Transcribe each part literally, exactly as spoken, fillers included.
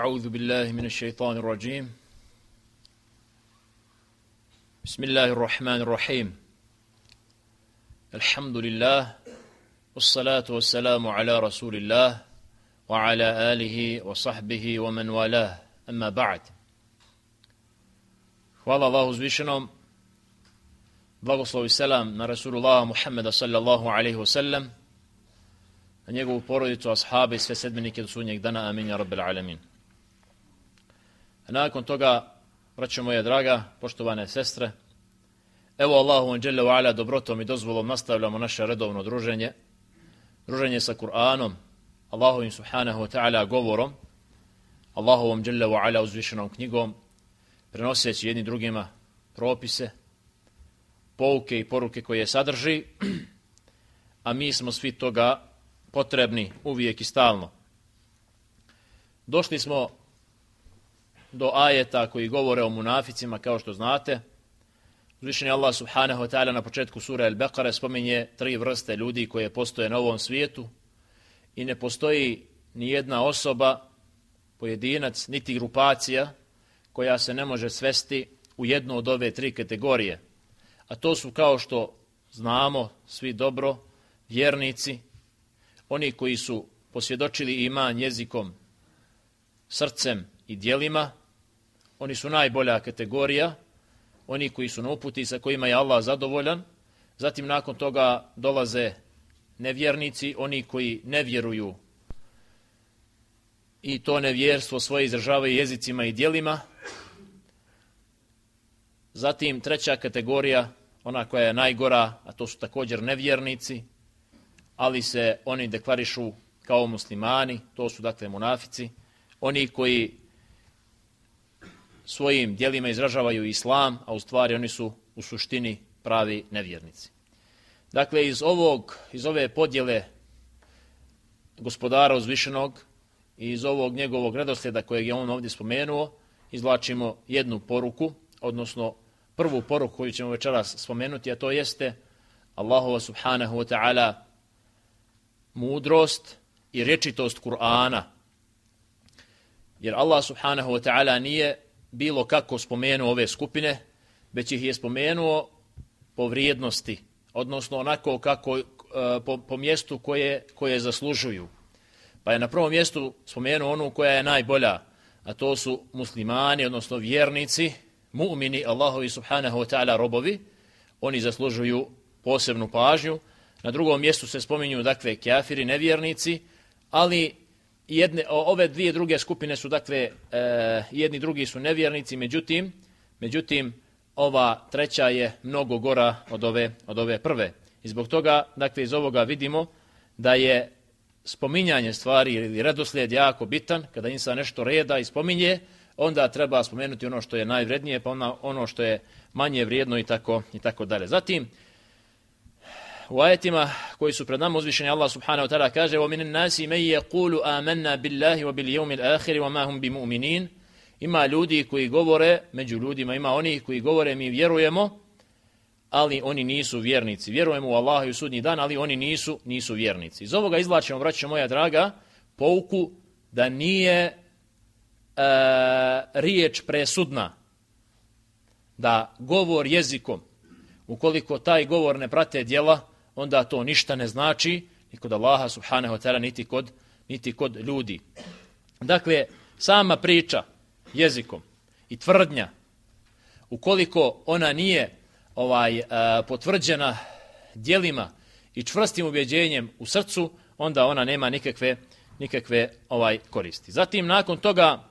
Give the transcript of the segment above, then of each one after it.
أعوذ بالله من الشيطان الرجيم بسم الله الرحمن الرحيم الحمد لله والصلاة والسلام على رسول الله وعلى آله وصحبه ومن والاه أما بعد. Hvala Allahu uzvišenom, blagoslov i selam na Rasulullah Muhammeda sallallahu alaihi wasallam, na njegovu porodicu, ashabe i sve sedmenike do sudnjeg dana, amin ja rabbil alamin. A nakon toga, braćo moja draga, poštovane sestre, evo Allahu dželle ve ala dobrotom i dozvolom nastavljamo naše redovno druženje, druženje sa Kur'anom, Allahovim subhanahu wa ta'ala govorom, Allahovom dželle ve ala uzvišenom knjigom, prenoseći jedni drugima propise, pouke i poruke koje sadrži, a mi smo svi toga potrebni uvijek i stalno. Došli smo do ajeta koji govore o munaficima, kao što znate. Uzvišeni Allah subhanahu wa ta'ala na početku sure Al-Baqara spominje tri vrste ljudi koje postoje na ovom svijetu i ne postoji ni jedna osoba, pojedinac, niti grupacija koja se ne može svesti u jednu od ove tri kategorije. A to su, kao što znamo svi dobro, vjernici, oni koji su posvjedočili iman jezikom, srcem i djelima, oni su najbolja kategorija, oni koji su na uputi sa kojima je Allah zadovoljan. Zatim nakon toga dolaze nevjernici, oni koji ne vjeruju i to nevjerstvo svoje izražavaju jezicima i djelima. Zatim treća kategorija, ona koja je najgora, a to su također nevjernici, ali se oni deklarišu kao muslimani, to su dakle munafici, oni koji svojim djelima izražavaju islam, a u stvari oni su u suštini pravi nevjernici. Dakle, iz ovog, iz ove podjele gospodara uzvišenog i iz ovog njegovog redoslijeda kojeg je on ovdje spomenuo, izvlačimo jednu poruku, odnosno prvu poruku koju ćemo večeras spomenuti, a to jeste Allahova subhanahu wa ta'ala mudrost i rječitost Kur'ana. Jer Allah subhanahu wa ta'ala nije bilo kako spomenuo ove skupine, već ih je spomenuo po vrijednosti, odnosno onako kako po, po mjestu koje, koje zaslužuju. Pa je na prvom mjestu spomenuo onu koja je najbolja, a to su muslimani, odnosno vjernici, mu'mini, Allahovi subhanahu wa ta'ala robovi, oni zaslužuju posebnu pažnju. Na drugom mjestu se spominju dakle kafiri, nevjernici, ali jedne, ove dvije druge skupine su dakle e, jedni drugi su nevjernici, međutim, međutim ova treća je mnogo gora od ove, od ove prve. I zbog toga dakle iz ovoga vidimo da je spominjanje stvari ili redoslijed jako bitan. Kada insan nešto reda i spominje, onda treba spomenuti ono što je najvrednije, pa ono što je manje vrijedno i tako, i tako dalje. Zatim, u ajetima koji su pred nama uzvišeni Allah subhanahu wa ta'ala kaže وَمِنَ النَّاسِ مَنْ يَقُولُ آمَنَّا بِاللَّهِ وَبِالْيَوْمِ الْآخِرِ وَمَا هُمْ بِمُؤْمِنِينَ. Ima ljudi koji govore, među ljudima ima oni koji govore mi vjerujemo, ali oni nisu vjernici. Vjerujemo u Allaha i u sudnji dan, ali oni nisu, nisu vjernici. Iz ovoga izvlačimo, braćo moja draga, pouku da nije e, riječ presudna, da govor jezikom, ukoliko taj govor ne prate djela, onda to ništa ne znači ni kod Allaha subhanahu wa ta'ala, niti kod, niti kod ljudi. Dakle, sama priča jezikom i tvrdnja, ukoliko ona nije ovaj uh, potvrđena djelima i čvrstim ubjeđenjem u srcu, onda ona nema nikakve, nikakve ovaj koristi. Zatim, nakon toga,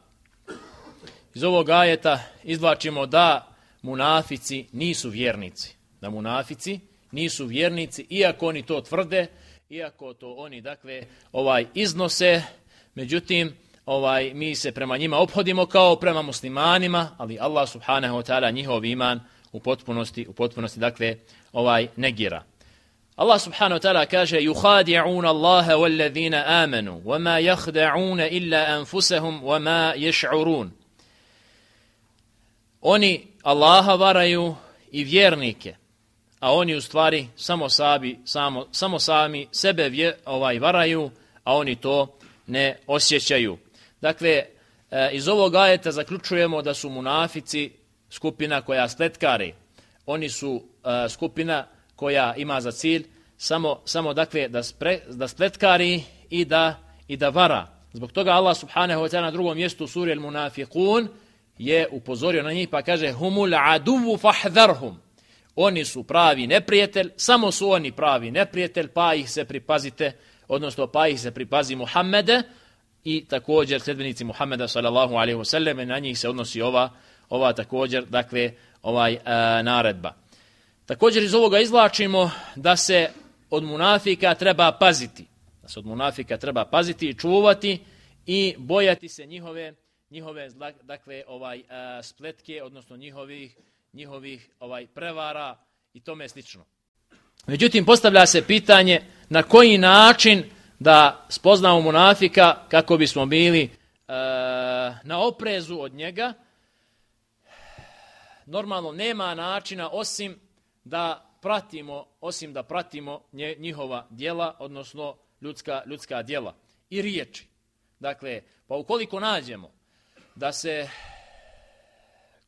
iz ovog ajeta izvlačimo da munafici nisu vjernici. Da munafici nisu vjernici, iako oni to tvrde, iako to oni dakle ovaj iznose, međutim ovaj mi se prema njima ophodimo kao prema muslimanima, ali Allah subhanahu wa ta'ala njihov iman u potpunosti u potpunosti dakle ovaj negira. Allah subhanahu wa ta'ala kaže yukhadi'un Allaha walladhina amanu wama yakhda'un illa anfusahum wama yash'urun. Oni Allaha varaju i vjernike, a oni u stvari samo sabi, samo, samo sami sebe vje, ovaj varaju, a oni to ne osjećaju. Dakle, e, iz ovog ajeta zaključujemo da su munafici skupina koja spletkari. Oni su e, skupina koja ima za cilj samo, samo dakle, da, spre, da spletkari i da, i da vara. Zbog toga Allah subhanahu wa ta'ala na drugom mjestu u suri Al-Munafiqun je upozorio na njih pa kaže humul aduvu fahdharhum. Oni su pravi neprijatelj, samo su oni pravi neprijatelj, pa ih se pripazite, odnosno pa ih se pripazi Muhammede i također sljedbenici Muhammeda sallallahu alejhi ve sellem, na njih se odnosi ova ova također dakle ovaj e, naredba. Također iz ovoga izvlačimo da se od munafika treba paziti. Da se od munafika treba paziti i čuvati i bojati se njihove njihove dakle ovaj uh, spletke, odnosno njihovih njihovih ovaj prevara i tome slično. Međutim postavlja se pitanje na koji način da spoznamo munafika kako bismo bili uh, na oprezu od njega. Normalno nema načina osim da pratimo osim da pratimo njihova djela, odnosno ljudska ljudska djela i riječi. Dakle, pa ukoliko nađemo da se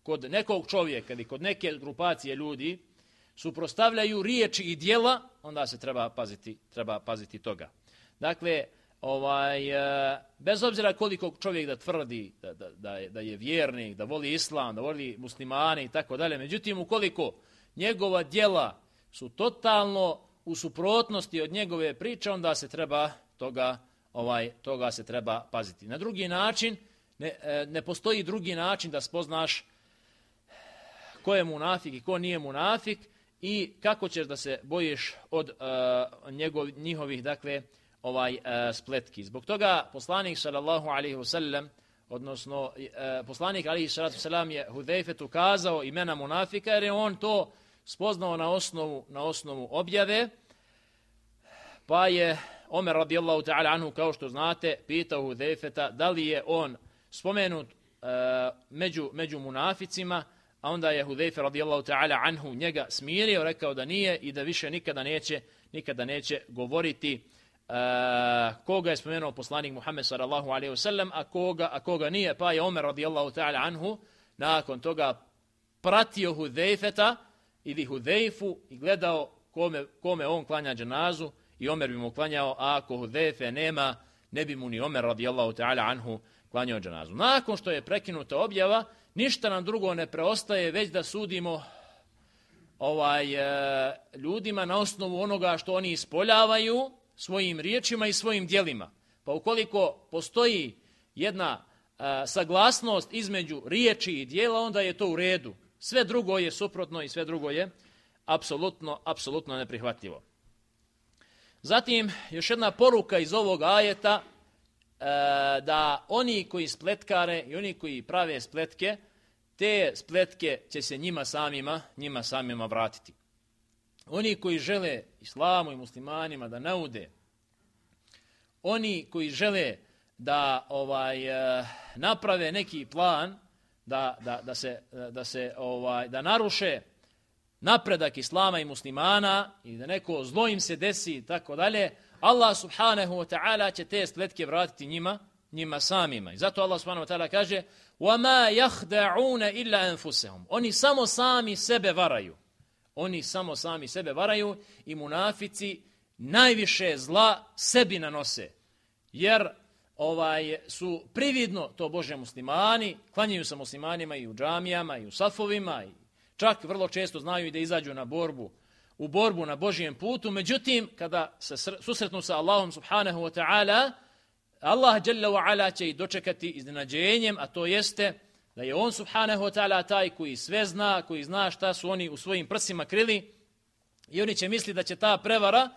kod nekog čovjeka ili kod neke grupacije ljudi suprotstavljaju riječi i djela, onda se treba paziti, treba paziti toga. Dakle, ovaj, bez obzira koliko čovjek da tvrdi da, da, da, je, da je vjernik, da voli islam, da voli muslimane i tako dalje, međutim ukoliko njegova djela su totalno u suprotnosti od njegove priče, onda se treba toga, ovaj, toga se treba paziti. Na drugi način, ne, ne postoji drugi način da spoznaš ko je munafik i ko nije munafik i kako ćeš da se bojiš od uh, njegov, njihovih dakle ovaj uh, spletki. Zbog toga poslanik sallallahu alejhi ve sellem, odnosno uh, poslanik alejhi salatu selam je Hudejfetu kazao imena munafika jer je on to spoznao na osnovu na osnovu objave. Pa je Omer radijallahu ta'ala anhu, kao što znate, pitao Hudejfeta da li je on spomenut uh, među, među munaficima, a onda je Hudejfe radijallahu ta'ala anhu njega smirio, rekao da nije i da više nikada neće, nikada neće govoriti uh, koga je spomenuo poslanik Muhammed sallallahu alejhi ve sellem, a koga, a koga nije. Pa je Omer radijallahu ta'ala anhu nakon toga pratio Hudejfeta ili Hudejfu i gledao kome, kome on klanja dženazu i Omer bi mu klanjao, a ako Hudejfe nema, ne bi mu ni Omer radijallahu ta'ala anhu klanjao dženazu. Nakon što je prekinuta objava, ništa nam drugo ne preostaje već da sudimo ovaj e, ljudima na osnovu onoga što oni ispoljavaju svojim riječima i svojim djelima. Pa ukoliko postoji jedna e, saglasnost između riječi i djela, onda je to u redu. Sve drugo je suprotno i sve drugo je apsolutno, apsolutno neprihvatljivo. Zatim, još jedna poruka iz ovog ajeta, da oni koji spletkare i oni koji prave spletke, te spletke će se njima samima, njima samima vratiti. Oni koji žele islamu i muslimanima da naude, oni koji žele da ovaj naprave neki plan da, da, da se, da se ovaj da naruše napredak islama i muslimana i da neko zlo im se desi i tako dalje, Allah subhanahu wa ta'ala će te spletke vratiti njima, njima samima. I zato Allah subhanahu wa ta'ala kaže وَمَا يَخْدَعُونَ إِلَّا أَنفُسَهُمْ. Oni samo sami sebe varaju. Oni samo sami sebe varaju i munafici najviše zla sebi nanose. Jer ovaj su prividno to Bože muslimani, klanjaju se muslimanima i u džamijama i u safovima i čak vrlo često znaju i da izađu na borbu u borbu na Božijem putu, međutim, kada se susretnu sa Allahom subhanahu wa ta'ala, Allah jalla wa ala će ih dočekati iznenađenjem, a to jeste da je on subhanahu wa ta'ala taj koji sve zna, koji zna šta su oni u svojim prsima krili i oni će misli da će ta prevara,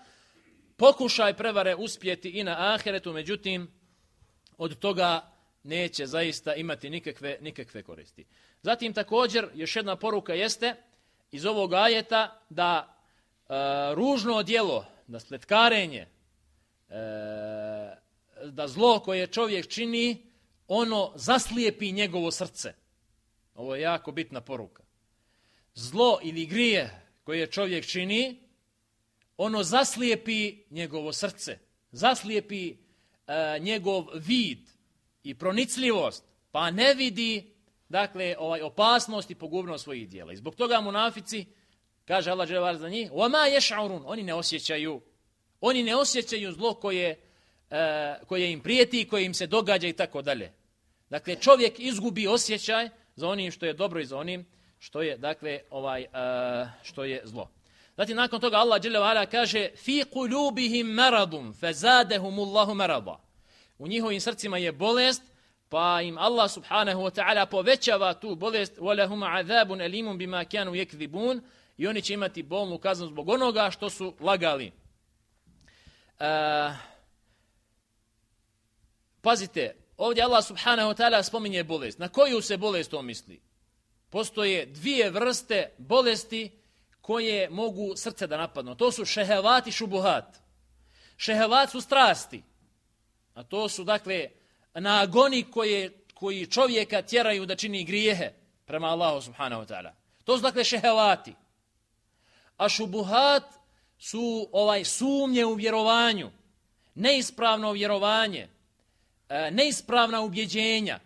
pokušaj prevare uspjeti i na ahiretu, međutim, od toga neće zaista imati nikakve, nikakve koristi. Zatim također, još jedna poruka jeste iz ovog ajeta da Uh, ružno djelo, da spletkarenje, uh, da zlo koje čovjek čini, ono zaslijepi njegovo srce. Ovo je jako bitna poruka. Zlo ili grije koje čovjek čini, ono zaslijepi njegovo srce, zaslijepi uh, njegov vid i pronicljivost pa ne vidi dakle ovaj opasnost i pogubnost svojih djela. I zbog toga munafici, kaže Allah dželle vale za njih, وَمَا يَشْعُرُونَ, oni ne osjećaju, oni ne osjećaju zlo koje, e, koje im prijeti i koje im se događa i tako dalje. Dakle, čovjek izgubi osjećaj za onim što je dobro i za onim što je, dakle, ovaj, e, što je zlo. Zatim, nakon toga Allah dželle vale kaže فِي قُلُوبِهِمْ مَرَضٌ فَزَادَهُمُ اللَّهُ مَرَضًا. U njihovim srcima je bolest, pa im Allah subhanahu wa ta'ala povećava tu bolest, وَلَهُمْ عَذَابٌ أَلِيمٌ بِمَا كَانُوا يَكْذِبُونَ, i oni će imati bolnu kaznu zbog onoga što su lagali. Uh, pazite, ovdje Allah subhanahu wa ta'ala spominje bolest. Na koju se bolest to misli? Postoje dvije vrste bolesti koje mogu srce da napadnu. To su šehevat i šubuhat. Šehevat su strasti, a to su, dakle, nagoni koje, koji čovjeka tjeraju da čini grijehe prema Allahu subhanahu wa ta'ala. To su, dakle, šehevati. A šubuhat su ovaj sumnje u vjerovanju, neispravno vjerovanje, neispravna ubjeđenja.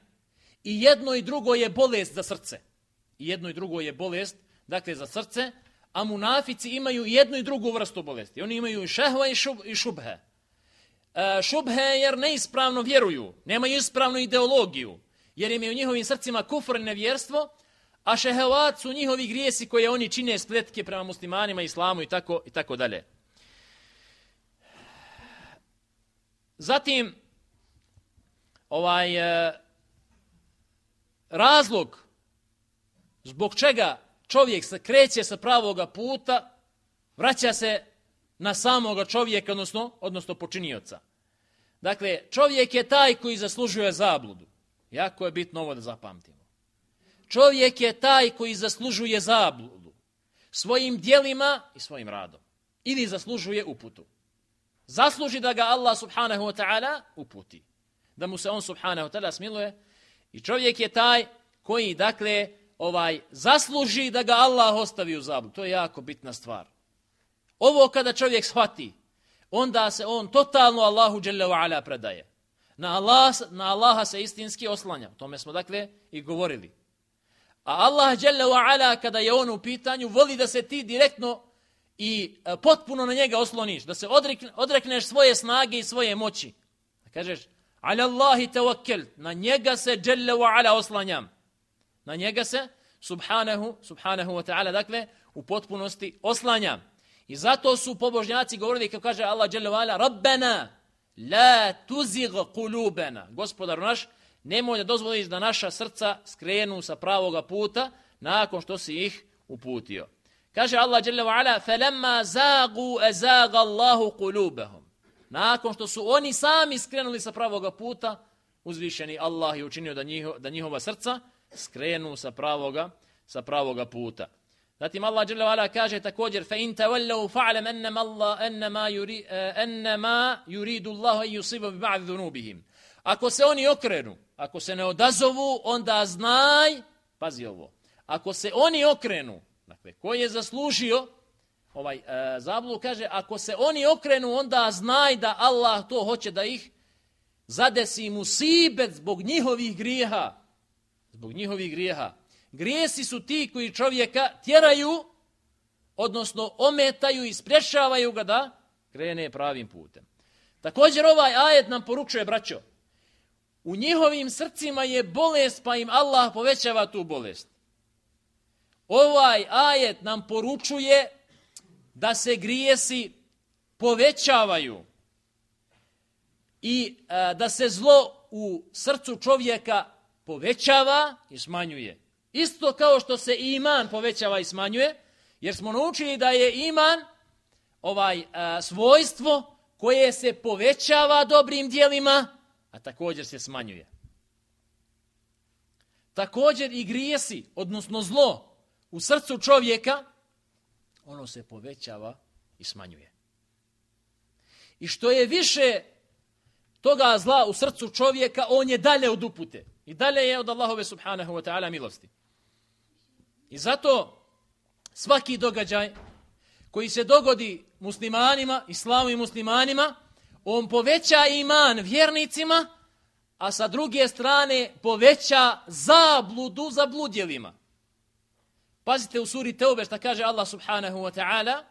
I jedno i drugo je bolest za srce. I jedno i drugo je bolest, dakle, za srce, a munafici imaju jednu i drugu vrstu bolesti. Oni imaju i šehva i, šub, i šubhe. E, šubhe jer neispravno vjeruju, nemaju ispravnu ideologiju, jer im je u njihovim srcima kufr i nevjerstvo, a šehevat su njihovi grijesi koje oni čine spletke prema muslimanima, islamu i tako, i tako dalje. Zatim, ovaj e, razlog zbog čega čovjek se kreće sa pravoga puta, vraća se na samoga čovjeka, odnosno, odnosno počinioca. Dakle, čovjek je taj koji zaslužuje zabludu. Jako je bitno ovo da zapamtimo. Čovjek je taj koji zaslužuje zabludu svojim djelima i svojim radom. Ili zaslužuje uputu. Zasluži da ga Allah subhanahu wa ta'ala uputi. Da mu se on subhanahu wa ta'ala smiluje. I čovjek je taj koji, dakle, ovaj zasluži da ga Allah ostavi u zabludu. To je jako bitna stvar. Ovo kada čovjek shvati, onda se on totalno Allahu dželle ve ala predaje. Na, Allah, na Allaha se istinski oslanja. O tome smo, dakle, i govorili. A Allah dželle ve ala, kada je on u pitanju, voli da se ti direktno i potpuno na njega osloniš, da se odrekne, odrekneš svoje snage i svoje moći. Da kažeš, ala Allahi tawakkel, na njega se dželle ve ala oslanjam. Na njega se, subhanahu, subhanahu wa ta'ala, dakle, u potpunosti oslanjam. I zato su pobožnjaci govorili, kao kaže Allah dželle ve ala, Rabbena, la tuzig kulubena. Gospodaru naš, nemoj da dozvoliš da naša srca skrenu sa pravoga puta nakon što si ih uputio. Kaže Allah dželle ve ala, falamma zagu azaga Allahu kulubahum. Nakon što su oni sami skrenuli sa pravoga puta, uzvišeni Allah je učinio da, njiho, da njihova srca skrenu sa pravoga, sa pravoga puta. Zatim Allah dželle ve ala kaže također, fa in tawallaw fa'lam annama Allah annama yuri annama yuridu Allah an yusiba bi ba'd dhunubihim. Ako se oni okrenu, ako se ne odazovu, onda znaj, pazi ovo. Ako se oni okrenu, dakle, ko je zaslužio ovaj uh, zabludu, kaže, ako se oni okrenu, onda znaj da Allah to hoće da ih zadesi musibet zbog njihovih grijeha. Zbog njihovih grijeha. Grijesi su ti koji čovjeka tjeraju, odnosno ometaju i sprječavaju ga da krene pravim putem. Također ovaj ajet nam poručuje, braćo, u njihovim srcima je bolest, pa im Allah povećava tu bolest. Ovaj ajet nam poručuje da se grijesi povećavaju i a, da se zlo u srcu čovjeka povećava i smanjuje. Isto kao što se iman povećava i smanjuje, jer smo naučili da je iman ovaj a, svojstvo koje se povećava dobrim djelima, a također se smanjuje. Također i grijesi, odnosno zlo u srcu čovjeka, ono se povećava i smanjuje. I što je više toga zla u srcu čovjeka, on je dalje od upute. I dalje je od Allahove subhanahu wa ta'ala milosti. I zato svaki događaj koji se dogodi muslimanima, islamu i muslimanima, on poveća iman vjernicima, a sa druge strane poveća zabludu za bludjelima. Pazite u suri Teube šta kaže Allah subhanahu wa ta'ala: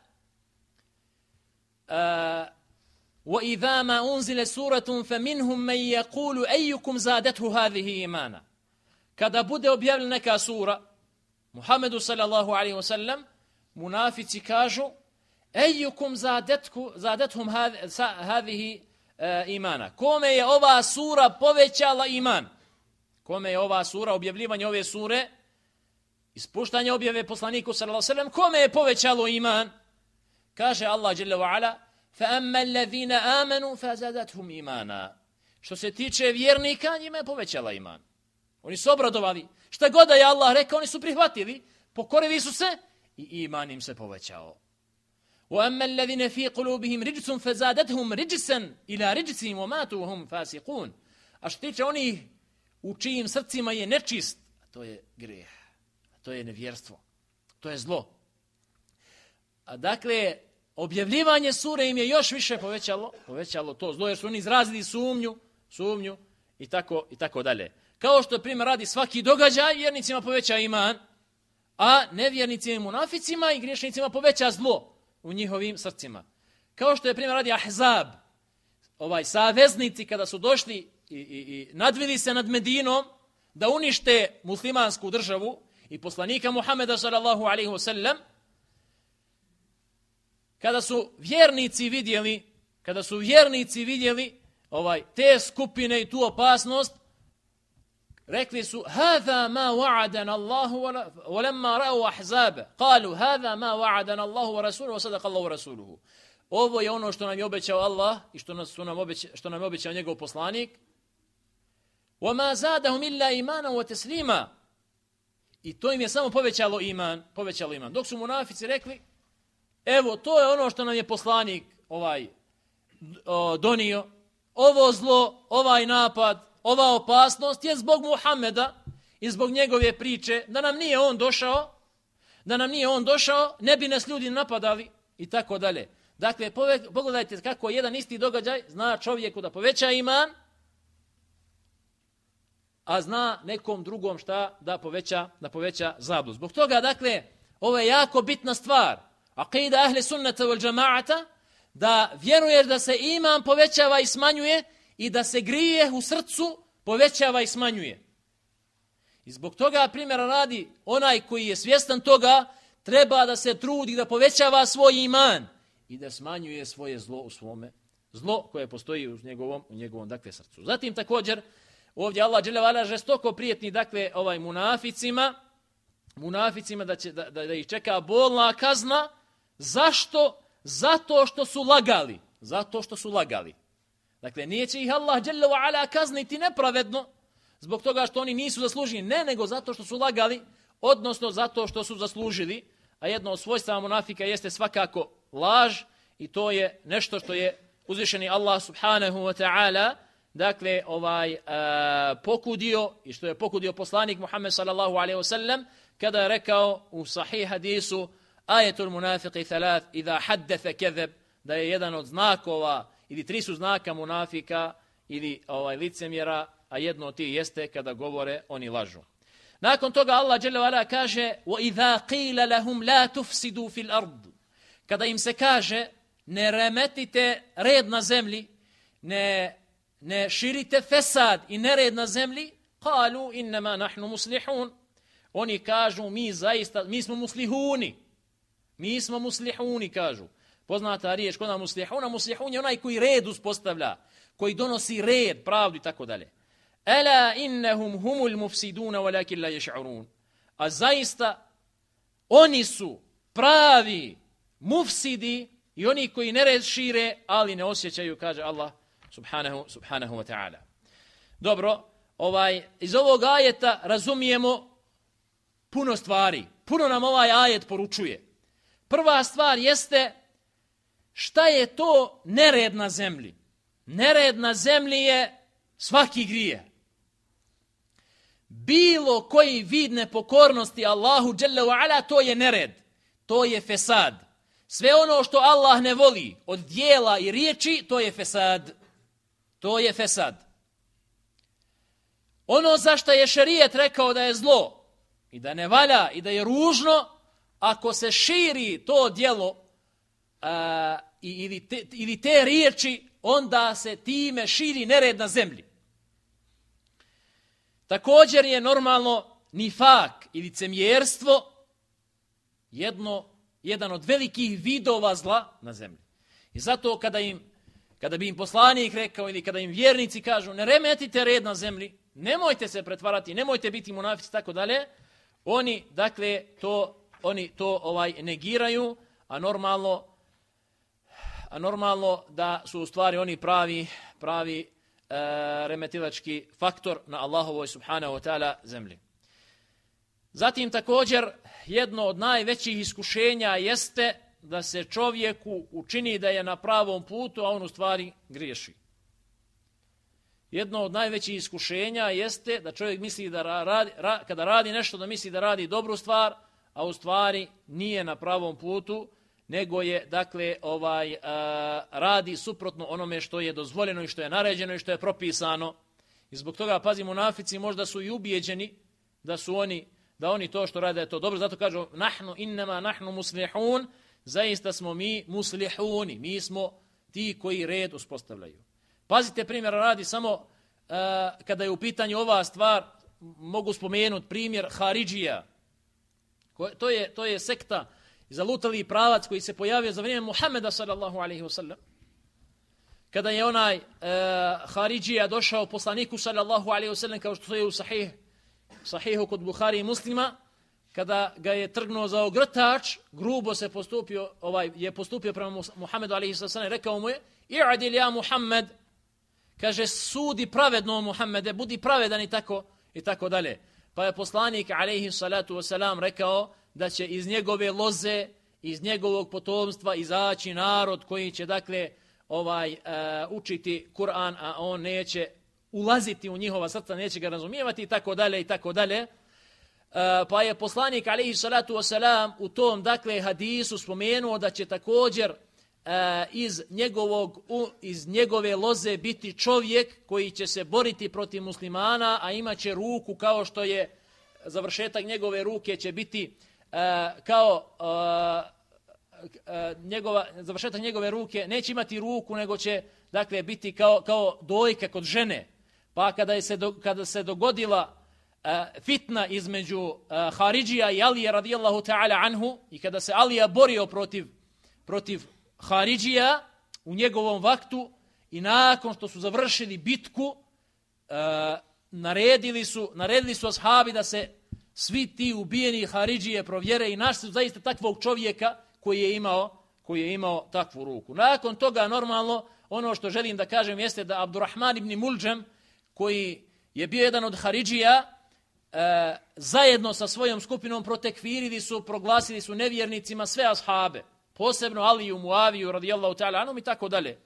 وَإِذَا مَا أُنْزِلَ سُورَةٌ فَمِنْهُمْ مَنْ يَقُولُ أَيُّكُمْ زَادَتْهُ هَذِهِ إِيمَانًا. Kada bude objavljena neka sura Muhammedu sallallahu alaihi wa sallam, munafici kažu: أَيُّكُمْ زَادَتْهُمْ هَذِهِ imana. Kome je ova sura povećala iman? Kome je ova sura, objavljivanje ove sure, ispuštanje objave poslaniku sallallahu alejhi ve sellem, kome je povećalo iman? Kaže Allah dželle ve ala: فَأَمَّا الَّذِينَ آمَنُوا فَزَادَتْهُمْ إِيمَانًا. Što se tiče vjernika, njima je povećala iman. Oni su obradovali. Šta god da je Allah rekao, oni su prihvatili, pokorili su se i iman im se povećao. وَأَمَّا الَّذِينَ فِي قُلُوبِهِمْ رِجْسٌ فَزَادَتْهُمْ رِجْسًا إِلَى رِجْسِهِمْ وَمَاتُوا وَهُمْ فَاسِقُونَ. A što tiče onih u čijim srcima je nečist, a to je grijeh, a to je nevjerstvo, to je zlo. A dakle, objavljivanje sure im je još više povećalo, povećalo to zlo, jer su oni izrazili sumnju, sumnju i tako, i tako dalje. Kao što primjer radi svaki događaj, vjernicima poveća iman, a nevjernicima i munaficima i griješnicima poveća zlo u njihovim srcima. Kao što je primjer radi Ahzab, ovaj saveznici kada su došli i, i, i nadvili se nad Medinom da unište muslimansku državu i poslanika Muhameda sallallahu alejhi ve sellem, kada su vjernici vidjeli, kada su vjernici vidjeli ovaj te skupine i tu opasnost, rekli su: "Hada ma wa'adana Allahu wa lamma ra'u ahzaba qalu hada ma wa'adana Allahu wa rasuluhu wa sadaqa Allahu wa rasuluhu." Ovo je ono što nam je obećao Allah i što nas su nam obećao, što nam je obećao njegov poslanik. "Wa ma zadahum illa imanan wa taslima." I to im je samo povećalo iman, povećalo iman. Dok su munafici rekli: "Evo, to je ono što nam je poslanik ovaj o, donio. Ovo zlo, ovaj napad, ova opasnost je zbog Muhameda i zbog njegove priče, da nam nije on došao, da nam nije on došao, ne bi nas ljudi napadali i tako dalje." Dakle, pogledajte kako jedan isti događaj zna čovjeku da poveća iman, a zna nekom drugom šta da poveća, da poveća zablud. Zbog toga, dakle, ovo je jako bitna stvar. Aqida ahli sunnata wal džamaata, da vjeruješ da se iman povećava i smanjuje i da se grije u srcu povećava i smanjuje. I zbog toga, primjera radi, onaj koji je svjestan toga treba da se trudi da povećava svoj iman i da smanjuje svoje zlo u svome, zlo koje postoji u njegovom, u njegovom dakle, srcu. Zatim također, ovdje Allah dželle ve ala žestoko prijetni, dakle, ovaj munaficima, munaficima da, će, da, da, da ih čeka bolna kazna. Zašto? Zato što su lagali. Zato što su lagali. Dakle, nije će ih Allah dželle ve ala kazniti nepravedno zbog toga što oni nisu zaslužili, ne, nego zato što su lagali, odnosno zato što su zaslužili. A jedno od svojstava munafika jeste svakako laž i to je nešto što je uzvišeni Allah subhanahu wa ta'ala dakle ovaj uh, pokudio i što je pokudio poslanik Muhammed sallallahu alejhi ve sellem kada je rekao u sahih hadisu: "Ayatul munafiqi thalath idha haddatha kadhab", da je jedan od znakova ili tri su znaka munafika ili ovaj licemjera, a jedno od tih jeste kada govore oni lažu. Nakon toga Allah dželle ve ala kaže: "Wa idha qila lahum la tufsidu fil ard", kada im se kaže ne remetite red na zemlji, ne ne širite fesad i nered na zemlji, qalu inma nahnu muslihun, oni kažu mi zaista mi smo muslihuni. Mi smo muslihuni, kažu. Poznata riječ kod nas muslihuna, muslihun je onaj koji red uspostavlja, koji donosi red, pravdu i tako dalje. Ala innahum humul mufsiduna walakin la yash'urun. A zaista oni su pravi mufsidi i oni koji nered šire, ali ne osjećaju, kaže Allah subhanahu subhanahu wa ta'ala. Dobro, ovaj iz ovog ajeta razumijemo puno stvari. Puno nam ovaj ajet poručuje. Prva stvar jeste šta je to nered na zemlji. Nered na zemlji je svaki grije. Bilo koji vid nepokornosti Allahu dželle ve ala, to je nered. To je fesad. Sve ono što Allah ne voli od dijela i riječi, to je fesad. To je fesad. ono zašto je šerijet rekao da je zlo i da ne valja i da je ružno, ako se širi to djelo a, ili, te, ili te riječi, onda se time širi nered na zemlji. Također je normalno nifak ili licemjerstvo jedno, jedan od velikih vidova zla na zemlji. I zato kada im Kada bi im poslanik rekao ili kada im vjernici kažu ne remetite red na zemlji, nemojte se pretvarati, nemojte biti munafici, tako dalje, oni, dakle, to, oni to ovaj negiraju, a normalno, a normalno da su u stvari oni pravi, pravi e, remetilački faktor na Allahovoj subhanahu wa ta'ala zemlji. Zatim također jedno od najvećih iskušenja jeste da se čovjeku učini da je na pravom putu, a on u stvari griješi. Jedno od najvećih iskušenja jeste da čovjek misli da radi, ra, kada radi nešto, da misli da radi dobru stvar, a u stvari nije na pravom putu, nego je, dakle, ovaj a, radi suprotno onome što je dozvoljeno i što je naređeno i što je propisano. I zbog toga, pazi, munafici možda su i ubijeđeni da su oni, da oni to što rade da je to dobro, zato kažu nahnu innama nahnu muslihun, zaista smo mi muslihuni, mi smo ti koji red uspostavljaju. Pazite, primjer radi samo uh, kada je u pitanju ova stvar, mogu spomenuti primjer Haridžija. To je, to je sekta, zalutali pravac koji se pojavio za vrijeme Muhameda sallallahu alaihi wa sallam. Kada je onaj uh, Haridžija došao poslaniku sallallahu alaihi wa sallam, kao što je u sahih, sahihu kod Buhari i Muslima, kada ga je trgnuo za ogrtač, grubo se postupio, ovaj je postupio prema Muhammedu alejhi sallam, rekao mu je: "I'dil ja Muhammed", kaže, sudi pravedno Muhammede, budi pravedan i tako i tako dalje. Pa je poslanik alejhi salatu vesselam rekao da će iz njegove loze, iz njegovog potomstva izaći narod koji će, dakle, ovaj uh, učiti Kur'an, a on neće ulaziti u njihova srca, neće ga razumijevati i tako dalje i tako dalje. Uh, pa je poslanik alejhi salatu vesselam u tom, dakle, hadisu spomenuo da će također uh, iz njegovog u, iz njegove loze biti čovjek koji će se boriti protiv muslimana, a imaće ruku kao što je završetak njegove ruke će biti uh, kao uh, uh, njegova završetak njegove ruke neće imati ruku, nego će, dakle, biti kao kao dojka kod žene. Pa kada je se do, kada se dogodila Uh, fitna između uh, Haridžija i Alije radijallahu ta'ala anhu, i kada se Alija borio protiv, protiv Haridžija u njegovom vaktu, i nakon što su završili bitku, uh, naredili su, naredili su ashabi da se svi ti ubijeni Haridžije provjere i našli su zaista takvog čovjeka koji je imao, koji je imao takvu ruku. Nakon toga, normalno, ono što želim da kažem jeste da Abdurrahman ibn Muljam, koji je bio jedan od Haridžija, E, zajedno sa svojom skupinom protekfirili su, proglasili su nevjernicima sve ashabe, posebno Aliju, Muaviju radijallahu ta'ala anhum i tako dalje.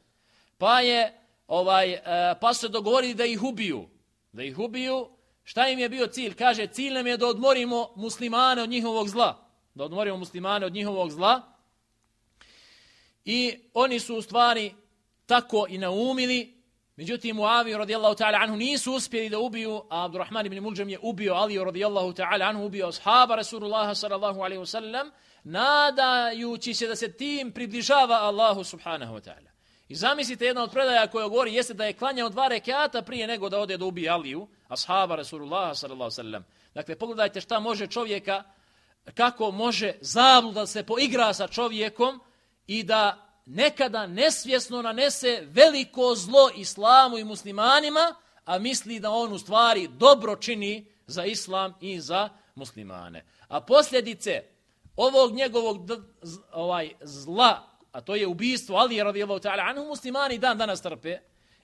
Pa je ovaj e, pa su se dogovorili da ih ubiju. Da ih ubiju. Šta im je bio cilj? Kaže, cilj nam je da odmorimo muslimane od njihovog zla. Da odmorimo muslimane od njihovog zla. I oni su u stvari tako i naumili. Međutim, Muaviju radijallahu ta'ala anhu nisu uspjeli da ubiju, a Abdurrahman ibn Muljam je ubio Aliju radijallahu ta'ala anhu, ubio ashaba Rasulullaha sallallahu alaihi wa sallam, nadajući se da se tim približava Allahu subhanahu wa ta'ala. I zamislite, jedna od predaja koja govori jeste da je klanjao dva rekata prije nego da ode da ubije Aliju, ashaba Rasulullaha sallallahu alaihi wa sallam. Dakle, pogledajte šta može čovjeka, kako može zabluda se poigra sa čovjekom i da nekada nesvjesno nanese veliko zlo islamu i muslimanima, a misli da on u stvari dobro čini za islam i za muslimane. A posljedice ovog njegovog d- z- ovaj zla, a to je ubistvo Alije radijallahu ta'ala anhu, muslimani dan danas trpe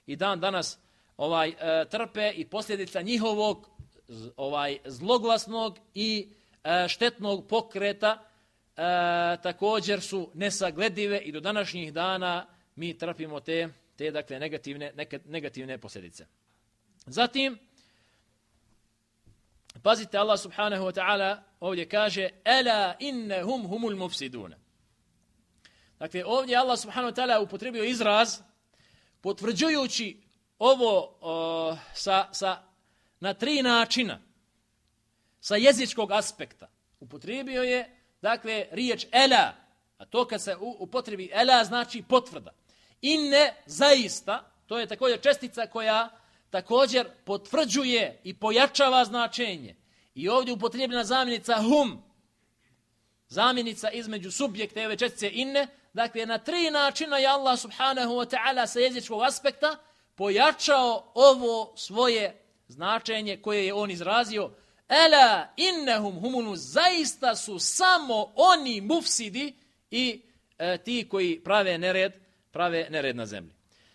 i dan danas ovaj e, trpe i posljedica njihovog z- ovaj zloglasnog i e, štetnog pokreta E, također su nesagledive i do današnjih dana mi trpimo te, te dakle, negativne, neka, negativne posljedice. Zatim, pazite, Allah subhanahu wa ta'ala ovdje kaže: "Ela innahum humul mufsidun." Dakle, ovdje Allah subhanahu wa ta'ala upotrebio izraz potvrđujući ovo o, sa, sa na tri načina sa jezičkog aspekta. Upotrijebio je, dakle, riječ ela, a to kad se upotrebi ela znači potvrda. Inne, zaista, to je također čestica koja također potvrđuje i pojačava značenje. I ovdje upotrijebljena zamjenica hum, zamjenica između subjekta i ove čestice inne, dakle, na tri načina je Allah subhanahu wa ta'ala sa jezičkog aspekta pojačao ovo svoje značenje koje je on izrazio. Ela innehum humunu, zaista su samo oni mufsidi i e, ti koji prave nered, prave nered na zemlji.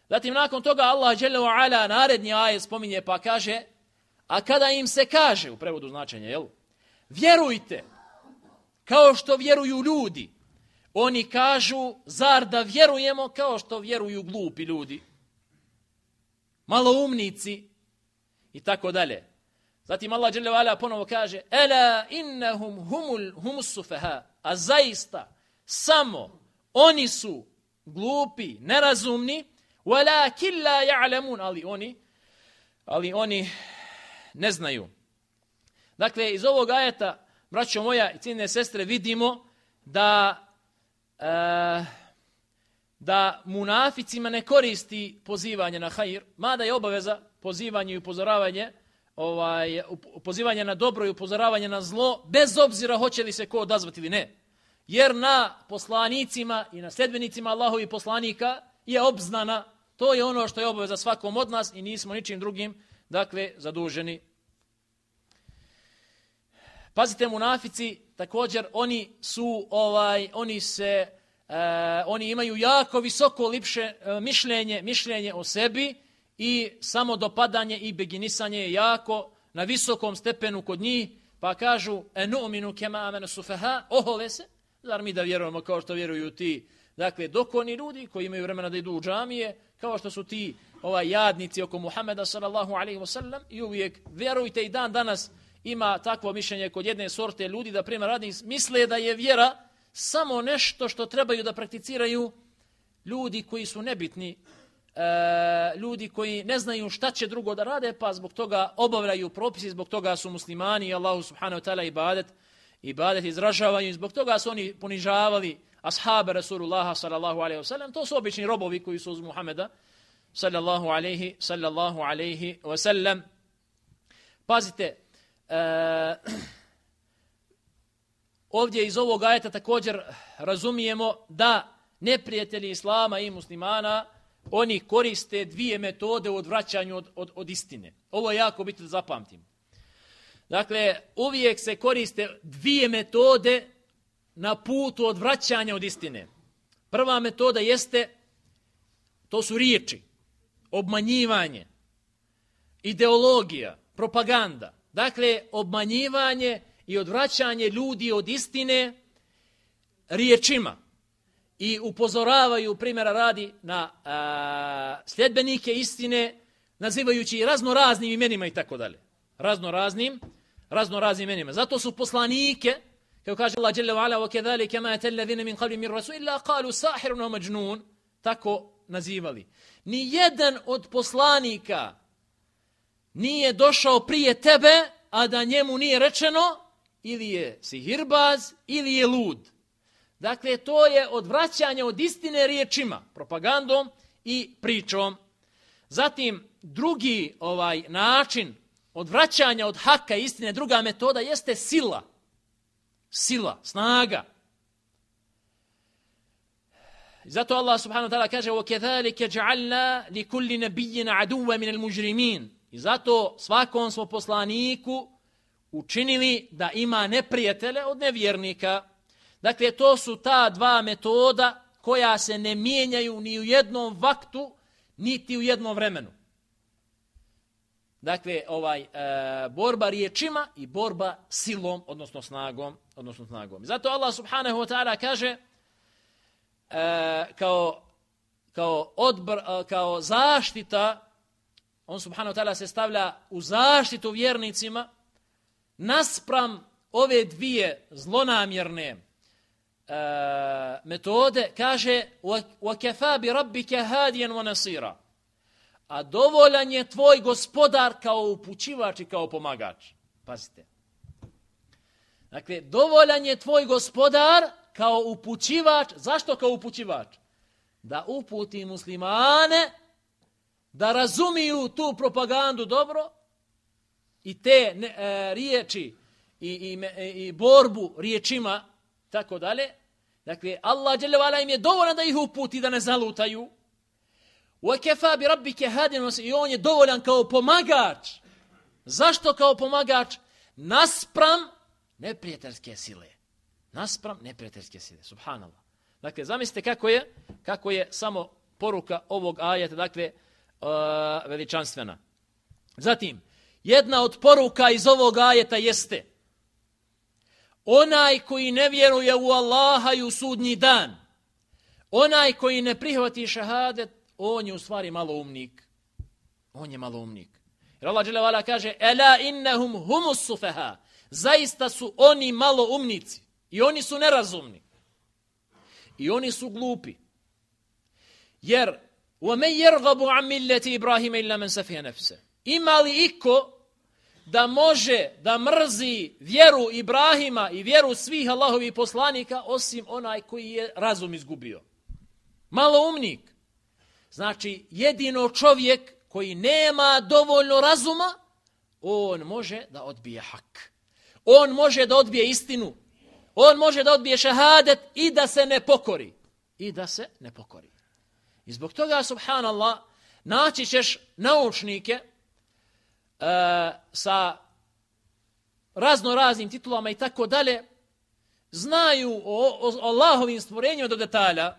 Zatim nakon toga Allah dželle ve ala naredni ajet spominje pa kaže, a kada im se kaže, u prevodu značenja, jel? Vjerujte, kao što vjeruju ljudi. Oni kažu, zar da vjerujemo kao što vjeruju glupi ljudi, maloumnici i tako dalje. Zatim Allah dželle ve ala ponovo kaže, ela innahum humul humus sufaha, a zaista samo oni su glupi, nerazumni, walakin la ya'lamun, ali oni ali oni ne znaju. Dakle, iz ovog ajeta, braćo moja i cijenjene sestre, vidimo da e, da munaficima ne koristi pozivanje na hajr, mada je obaveza pozivanje i upozoravanje, ovaj, pozivanje na dobro i upozoravanje na zlo, bez obzira hoće li se ko odazvati ili ne. Jer na poslanicima i na sljedbenicima Allahovi poslanika je obznana, to je ono što je obaveza svakom od nas i nismo ničim drugim, dakle, zaduženi. Pazite, munafici, također, oni su, ovaj, oni se, uh, oni imaju jako visoko lipše uh, mišljenje, mišljenje o sebi i samo dopadanje i beginisanje je jako na visokom stepenu kod njih, pa kažu, enu'minu kema amene sufaha, ohole se, zar mi da vjerujemo kao što vjeruju ti, dakle, dokoni ljudi koji imaju vremena da idu u džamije, kao što su ti ovaj jadnici oko Muhameda sallallahu alejhi ve sellem, i uvijek vjerujte i dan danas ima takvo mišljenje kod jedne sorte ljudi da primjer radi misle da je vjera samo nešto što trebaju da prakticiraju ljudi koji su nebitni, e, ljudi koji ne znaju šta će drugo da rade, pa zbog toga obavljaju propisi, zbog toga su muslimani i Allahu subhanahu wa ta'ala ibadet, ibadet izražavaju i zbog toga su oni ponižavali ashabe Rasulullaha sallallahu alejhi ve sellem. To su obični robovi koji su uz Muhameda sallallahu alejhi sallallahu alejhi ve sellem. Pazite, e, ovdje iz ovog ajeta također razumijemo da neprijatelji islama i muslimana, oni koriste dvije metode u odvraćanju od, od, od istine. Ovo je jako bitno da zapamtimo. Dakle, uvijek se koriste dvije metode na putu odvraćanja od istine. Prva metoda jeste, to su riječi, obmanjivanje, ideologija, propaganda. Dakle, obmanjivanje i odvraćanje ljudi od istine riječima. I upozoravaju, primjera radi, na a, sljedbenike istine, nazivajući razno raznim imenima i tako dalje. Razno raznim, razno raznim imenima. Zato su poslanike, kao kaže Allah dželle ve ala, وَكَذَلِكَ مَا أَتَى الَّذِينَ مِنْ قَبْلِهِمْ مِنْ رَسُولٍ إِلَّا قَالُوا سَاحِرٌ أَوْ مَجْنُونٌ, tako nazivali. Ni jedan od poslanika nije došao prije tebe, a da njemu nije rečeno ili je sihirbaz ili je lud. Dakle, to je odvraćanje od istine riječima, propagandom i pričom. Zatim, drugi ovaj način odvraćanja od haka istine, druga metoda jeste sila. Sila, snaga. Zato Allah subhanahu wa ta'ala kaže وَكَذَلِكَ جَعَلْنَا لِكُلِّ نَبِيِّنَ عَدُوَّ مِنَ الْمُجْرِمِينَ. I zato svakom smo poslaniku učinili da ima neprijatele od nevjernika. Dakle, to su ta dva metoda koja se ne mijenjaju ni u jednom vaktu, niti u jednom vremenu. Dakle, ovaj e, borba riječima i borba silom, odnosno snagom, odnosno snagom. Zato Allah subhanahu wa ta'ala kaže e, kao kao odbr, kao zaštita, on subhanahu wa ta'ala se stavlja u zaštitu vjernicima naspram ove dvije zlonamjerne e, metode, kaže وَكَفَا بِرَبِّكَ هَادِيًا وَنَصِيرًا. a dovoljan je tvoj gospodar kao upućivač i kao pomagač. Pazite. Dakle, dovoljan je tvoj gospodar kao upućivač. Zašto kao upućivač? Da uputi muslimane da razumiju tu propagandu dobro i te ne, e, riječi i, i, i borbu riječima, tako dalje. Dakle, Allah dželle ve ala im je dovoljan da ih uputi, da ne zalutaju. وَكَفَا بِرَبِّكَ هَادٍ I on je dovoljan kao pomagač. Zašto kao pomagač? Naspram neprijateljske sile. Naspram neprijateljske sile. Subhanallah. Dakle, zamislite kako je, kako je samo poruka ovog ajeta, dakle, uh, veličanstvena. Zatim, jedna od poruka iz ovog ajeta jeste onaj koji ne vjeruje u Allaha i u sudnji dan, onaj koji ne prihvati šehadet, on je u stvari maloumnik. On je maloumnik. Jer Allah dželle ve ala kaže: "Ela innahum humus sufaha." Zaista su oni maloumnici i oni su nerazumni. I oni su glupi. Jer وَمَنْ يَرْغَبُ عَنْ مِلَّةِ إِبْرَاهِيمَ إِلَّا مَنْ سَفِهَ نَفْسَهُ Ima li iko da može da mrzi vjeru Ibrahima i vjeru svih Allahovih poslanika osim onaj koji je razum izgubio? Maloumnik. Znači, jedino čovjek koji nema dovoljno razuma, on može da odbije hak. On može da odbije istinu. On može da odbije šehadet i da se ne pokori. I da se ne pokori. I zbog toga, subhanallah, naći ćeš naučnike uh, sa razno raznim titulama i tako dalje, znaju o, o Allahovim stvorenjima do detalja,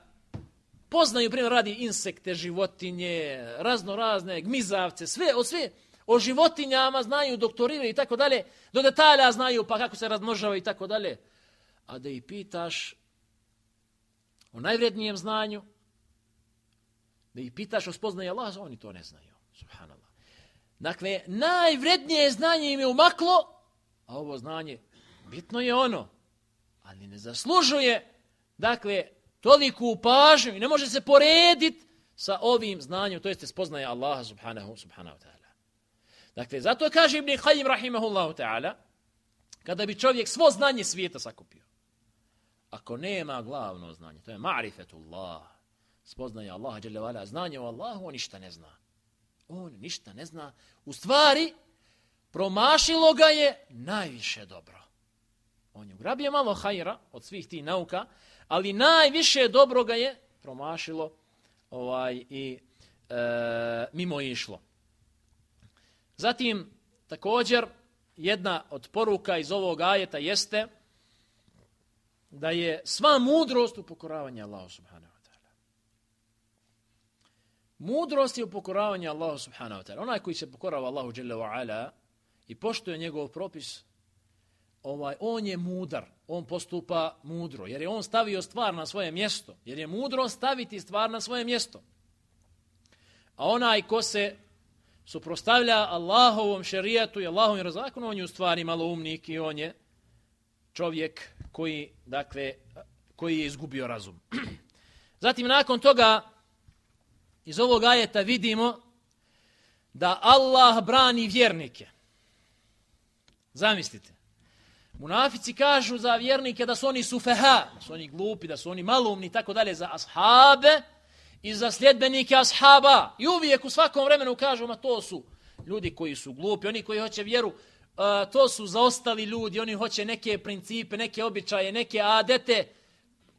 poznaju, primjer radi, insekte, životinje, razno razne gmizavce, sve, o sve, o životinjama znaju, doktoriraju i tako dalje, do detalja znaju pa kako se razmnožavaju i tako dalje. A da ih pitaš o najvrednijem znanju, da ih pitaš o spoznaju Allaha, oni to ne znaju. Subhanallah. Dakle, najvrednije znanje im je umaklo, a ovo znanje bitno je ono, ali ne zaslužuje, dakle, toliku pažnju i ne može se porediti sa ovim znanjem, to jeste spoznaje Allaha subhanahu, subhanahu ta'ala. Dakle, zato kaže Ibn Qayyim rahimahullahu ta'ala, kada bi čovjek svo znanje svijeta sakupio, ako nema glavno znanje, to je ma'rifetullah, spoznaje Allaha dželle ve ala, znanje o Allahu, on ništa ne zna. On ništa ne zna. U stvari, promašilo ga je najviše dobro. On je ugrabio malo hajra od svih tih nauka, ali najviše dobro ga je promašilo ovaj, i e, mimo išlo. Zatim, također, jedna od poruka iz ovog ajeta jeste da je sva mudrost u pokoravanju Allahu subhanahu wa ta'ala. Mudrost je u pokoravanju Allahu subhanahu wa ta'ala. Onaj koji se pokorava Allahu dželle ve ala i poštuje njegov propis, ovaj, on je mudar, on postupa mudro, jer je on stavio stvar na svoje mjesto, jer je mudro staviti stvar na svoje mjesto. A onaj ko se suprotstavlja Allahovom šerijatu i Allahovim zakonu, on je u stvari maloumnik i on je čovjek koji, dakle, koji je izgubio razum. Zatim, nakon toga, iz ovog ajeta vidimo da Allah brani vjernike. Zamislite. Munafici kažu za vjernike da su oni sufeha, da su oni glupi, da su oni maloumni i tako dalje za ashabe i za sljedbenike ashaba. I uvijek u svakom vremenu kažu, ma to su ljudi koji su glupi, oni koji hoće vjeru, uh, to su zaostali ljudi, oni hoće neke principe, neke običaje, neke adete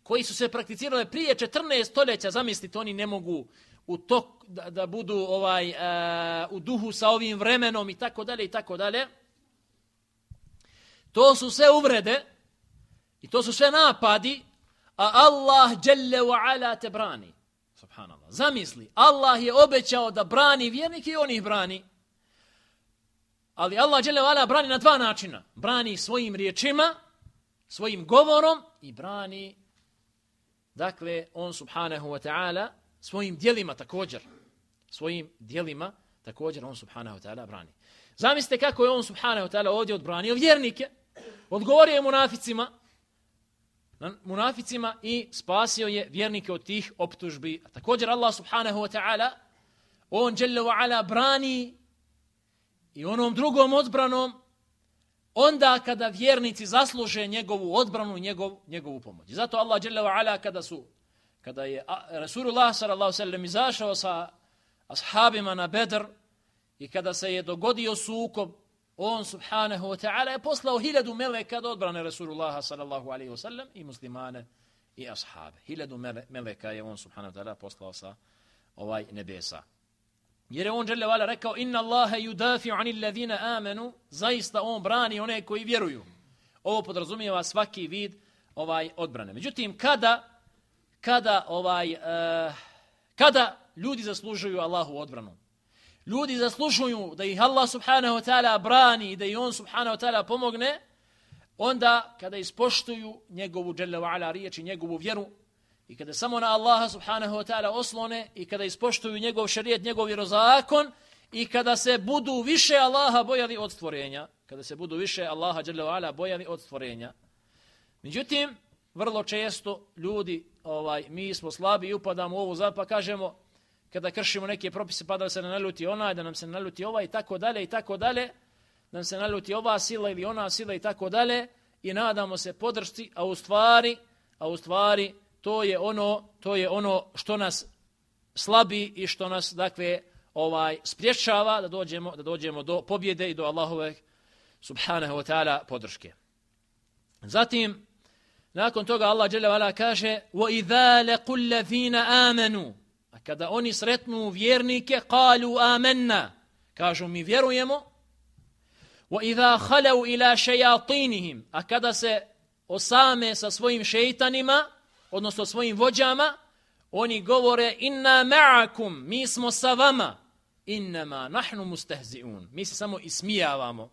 koji su se prakticirale prije četrnaest stoljeća. Zamislite, oni ne mogu u tok, da, da budu ovaj, uh, u duhu sa ovim vremenom i tako dalje i tako dalje. To su sve uvrede i to su sve napadi, a Allah dželle ve ala te brani. Subhanallah. Zamisli, Allah je obećao da brani vjernike i on ih brani. Ali Allah dželle ve ala brani na dva načina. Brani svojim riječima, svojim govorom i brani, dakle, on subhanahu wa ta'ala svojim djelima također. Svojim djelima također on subhanahu wa ta'ala brani. Zamislite kako je on subhanahu wa ta'ala ovdje odbranio vjernike. Odgovorio je munaficima, munaficima i spasio je vjernike od tih optužbi. A također Allah subhanahu wa ta'ala on dželle ve ala brani i onom drugom odbranom onda kada vjernici zasluže njegovu odbranu i njegov, njegovu pomoć. Zato Allah dželle ve ala kada su kada je Rasulullah sallallahu alejhi ve sellem izašao sa ashabima na Bedr i kada se je dogodio sukob, on subhanahu wa ta'ala je poslao hiljadu meleka da odbrane Rasulullaha sallallahu alejhi ve sellem i muslimane i ashabe. Hiljadu meleka je on subhanahu wa ta'ala poslao sa ovaj nebesa. Jer je on dželle ve ala rekao inna Allaha yudafi'u 'anil ladina amanu, zaista on brani one koji vjeruju. Ovo podrazumijeva svaki vid ovaj odbrane. Međutim kada kada ovaj uh, kada ljudi zaslužuju Allahu odbranu, ljudi zaslužuju da ih Allah subhanahu wa ta'ala brani i da ih on subhanahu wa ta'ala pomogne, onda kada ispoštuju njegovu dželle ve ala riječ i njegovu vjeru i kada samo na Allaha subhanahu wa ta'ala oslone i kada ispoštuju njegov šerijet, njegov vjerozakon i kada se budu više Allaha bojali od stvorenja, kada se budu više Allaha dželle ve ala bojali od stvorenja. Međutim, vrlo često ljudi, ovaj, mi smo slabi i upadamo u ovu zap, pa kažemo kada kršimo neke propise pa da se ne naljuti onaj, da nam se naljuti ovaj i tako dalje i tako dalje, da nam se naljuti ova sila ili ona sila i tako dalje i nadamo se podršci, a u stvari, a u stvari to je ono, to je ono što nas slabi i što nas dakle ovaj spriječava da dođemo da dođemo do pobjede i do Allahove subhanahu wa ta'ala podrške. Zatim nakon toga Allah dželle ve ala kaže: "Wa idza laqul ladina amanu", a kada oni sretnu vjernike, qalu amanna, kažu mi vjerujemo. "Wa idza khalu ila shayatinihim", a kada se osame sa svojim šejtanima, odnosno svojim vođama, oni govore inna ma'akum, mi smo sa vama, innama nahnu mustahzi'un, mi se samo ismijavamo.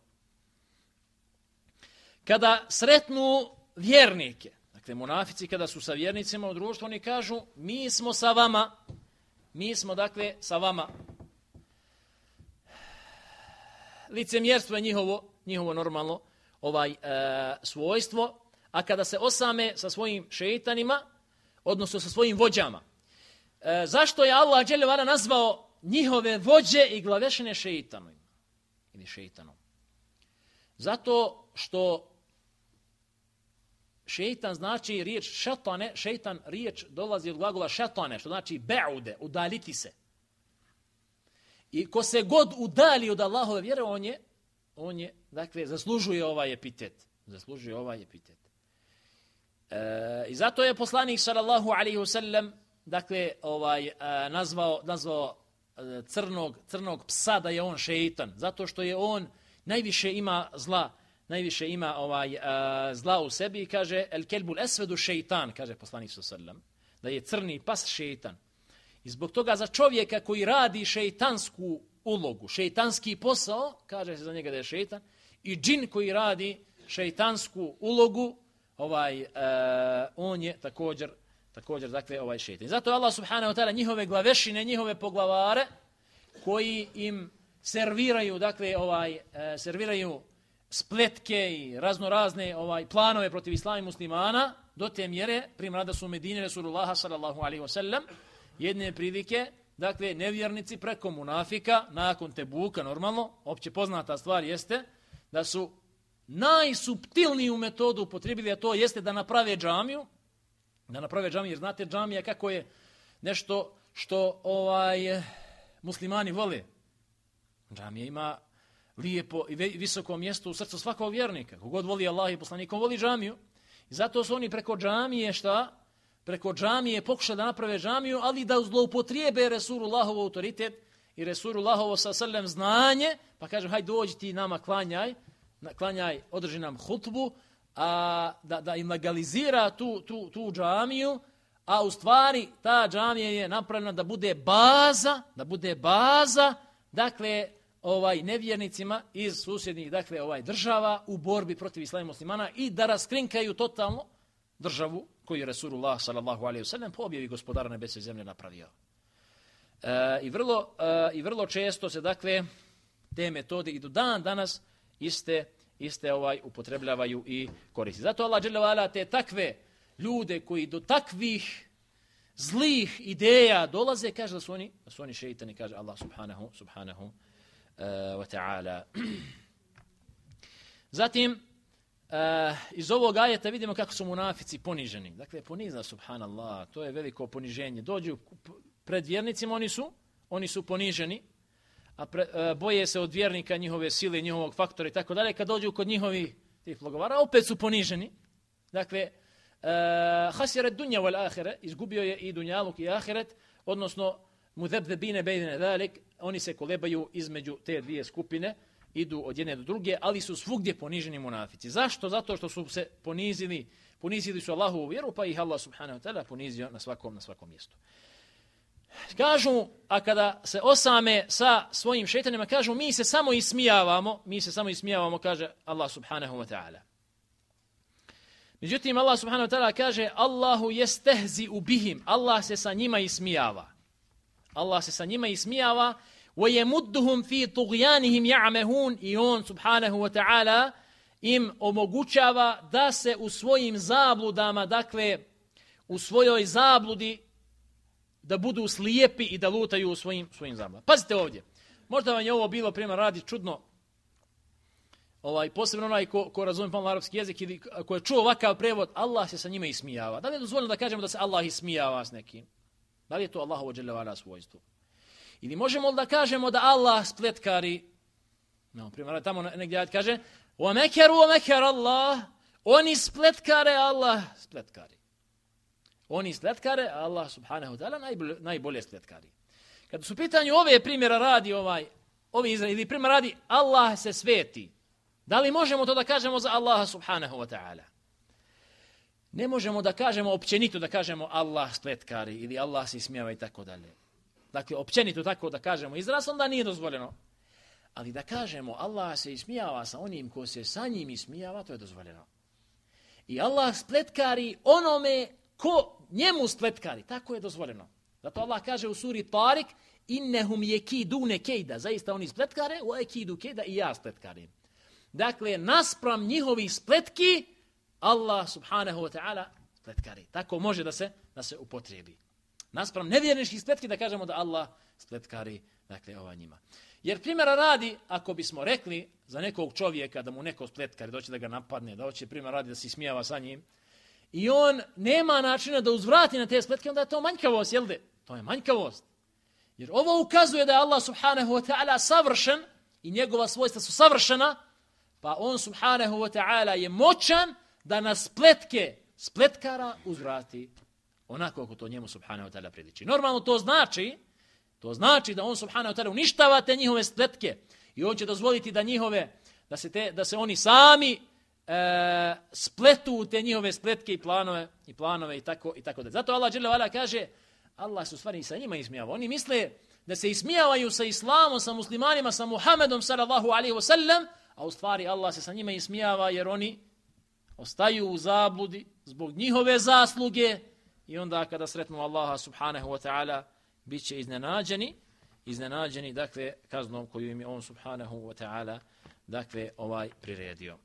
Kada sretnu vjernike, dakle munafici kada su sa vjernicima u društvu, oni kažu mi smo sa vama, mi smo dakle sa vama. Licemjerstvo je njihovo, njihovo normalno ovaj e, svojstvo, a kada se osame sa svojim šejtanima, odnosno sa svojim vođama. E, zašto je Allah dželle ve ala nazvao njihove vođe i glavešine šejtanom ili šejtanom? Zato što šejtan znači riječ šetane, šejtan riječ dolazi od glagola šetane, što znači baude, udaliti se. I ko se god udali od Allahove vjere, on je, on je, dakle, zaslužuje ovaj epitet. Zaslužuje ovaj epitet. E, I zato je poslanik sallallahu alejhi ve sellem, dakle, ovaj, e, nazvao, nazvao e, crnog, crnog psa da je on šejtan. Zato što je on najviše ima zla, najviše ima ovaj uh, zla u sebi i kaže el kelbul esvedu šeitan, kaže poslanik sallallahu alejhi ve sellem, da je crni pas šeitan. I zbog toga za čovjeka koji radi šeitansku ulogu, šeitanski posao, kaže se za njega da je šeitan, i džin koji radi šeitansku ulogu, ovaj uh, on je također također dakle ovaj šeitan. I zato je Allah subhanahu wa ta'ala njihove glavešine, njihove poglavare koji im serviraju, dakle ovaj uh, serviraju spletke i razno razne ovaj planove protiv islama i muslimana, do te mjere, primjer da su u Medini Rasulullaha sallallahu alejhi ve sellem, jedne prilike, dakle nevjernici preko munafika nakon Tebuka, normalno, opće poznata stvar jeste da su najsuptilniju metodu upotrijebili, a to jeste da naprave džamiju, da naprave džamiju, jer znate džamija kako je nešto što ovaj muslimani vole. Džamija ima lijepo i visoko mjesto u srcu svakog vjernika. Kogod voli Allah i poslanikom voli džamiju. I zato su oni preko džamije šta? Preko džamije pokušali da naprave džamiju, ali da zloupotrijebe Resulullahov autoritet i Resulullahovo sa sallam znanje, pa kažem hajde dođi ti nama klanjaj, klanjaj, održi nam hutbu, a da, da im legalizira tu, tu, tu džamiju, a u stvari ta džamija je napravljena da bude baza, da bude baza, dakle, ovaj nevjernicima iz susjednih dakle ovaj država u borbi protiv islama i muslimana i da raskrinkaju totalno državu koju je Resulullah sallallahu alejhi ve sellem po objavi gospodara nebesa i zemlje napravio. E, i vrlo e, i vrlo često se dakle te metode i do dan danas iste iste ovaj upotrebljavaju i koriste. Zato Allah dželle ve ala te takve ljude koji do takvih zlih ideja dolaze, kaže da su oni, da su oni šeitani, kaže Allah subhanahu, subhanahu uh, wa ta'ala. Zatim, uh, iz ovog ajeta vidimo kako su munafici poniženi. Dakle, ponizna, subhanallah, to je veliko poniženje. Dođu pred vjernicima, oni su, oni su poniženi, a pre, uh, boje se od vjernika, njihove sile, njihovog faktora i tako dalje. Kad dođu kod njihovi tih blogovara, opet su poniženi. Dakle, uh, hasiret dunja wal ahire, izgubio je i dunjaluk i ahiret, odnosno mudebdebine bejne dalik, oni se kolebaju između te dvije skupine, idu od jedne do druge, ali su svugdje poniženi munafici. Zašto? Zato što su se ponizili, ponizili su Allahovu vjeru, pa ih Allah subhanahu wa ta'ala ponizio na svakom, na svakom mjestu. Kažu, a kada se osame sa svojim šejtanima, kažu, mi se samo ismijavamo, mi se samo ismijavamo, kaže Allah subhanahu wa ta'ala. Međutim, Allah subhanahu wa ta'ala kaže, Allahu jestehzi ubihim, Allah se sa njima ismijava. Allah se sa njima ismijava, وَيَمُدُّهُمْ فِي طُغْيَانِهِمْ يَعْمَهُونَ i on subhanahu wa ta'ala im omogućava da se u svojim zabludama, dakle, u svojoj zabludi, da budu slijepi i da lutaju u svojim, svojim zabludama. Pazite ovdje, možda vam je ovo bilo primjer radi čudno, ovaj, posebno onaj ko, ko razumije pomalo arapski jezik ili ko je čuo ovakav prevod, Allah se sa njima ismijava. Da li je dozvoljeno da kažemo da se Allah ismijava s nekim? Da li je to Allahovo dželle ve ala svojstvo? Ili možemo da kažemo da Allah spletkari, no, primjer, tamo negdje kaže, وَمَكَرُوا وَمَكَرَ Allah, oni spletkare, Allah spletkari. Oni spletkare, Allah subhanahu ta'ala najbolje, najbolje spletkari. Kada su pitanju ove primjera radi, ovaj, ovi izraeli, ili primjer radi, Allah se sveti. Da li možemo to da kažemo za Allaha subhanahu wa ta'ala? Ne možemo da kažemo općenito da kažemo Allah spletkari ili Allah se ismijava i tako dalje. Dakle, općenito tako da kažemo izraz, onda nije dozvoljeno. Ali da kažemo Allah se ismijava sa onim ko se sa njim ismijava, to je dozvoljeno. I Allah spletkari onome ko njemu spletkari, tako je dozvoljeno. Zato Allah kaže u suri Tarik, innehum yekidune kejda, zaista oni spletkare, wa ekidu kejda i ja spletkarim. Dakle, naspram njihovih spletki, Allah subhanahu wa ta'ala spletkari. Tako može da se, da se upotrijebi. Naspram nevjerničkih spletki da kažemo da Allah spletkari, dakle, ova njima. Jer primjera radi, ako bismo rekli za nekog čovjeka da mu neko spletkari, doće da ga napadne, da hoće primjer radi da se smijava sa njim, i on nema načina da uzvrati na te spletke, onda je to manjkavost, jel de? To je manjkavost. Jer ovo ukazuje da je Allah subhanahu wa ta'ala savršen i njegova svojstva su savršena, pa on subhanahu wa ta'ala je moćan da na spletke spletkara uzvrati onako kako to njemu subhanahu wa ta'ala priliči. Normalno to znači, to znači da on subhanahu wa ta'ala uništava te njihove spletke i on će dozvoliti da njihove, da se, te, da se oni sami e, spletu te njihove spletke i planove i planove i tako i tako da. Zato Allah dželle ve ala kaže, Allah se u stvari sa njima ismijava. Oni misle da se ismijavaju sa islamom, sa muslimanima, sa Muhammedom sallallahu alejhi ve sellem, a u stvari Allah se sa njima ismijava jer oni ostaju u zabludi zbog njihove zasluge i onda kada sretnu Allaha subhanahu wa ta'ala bit će iznenađeni, iznenađeni, dakle, kaznom koju im je on subhanahu wa ta'ala, dakle, ovaj priredio.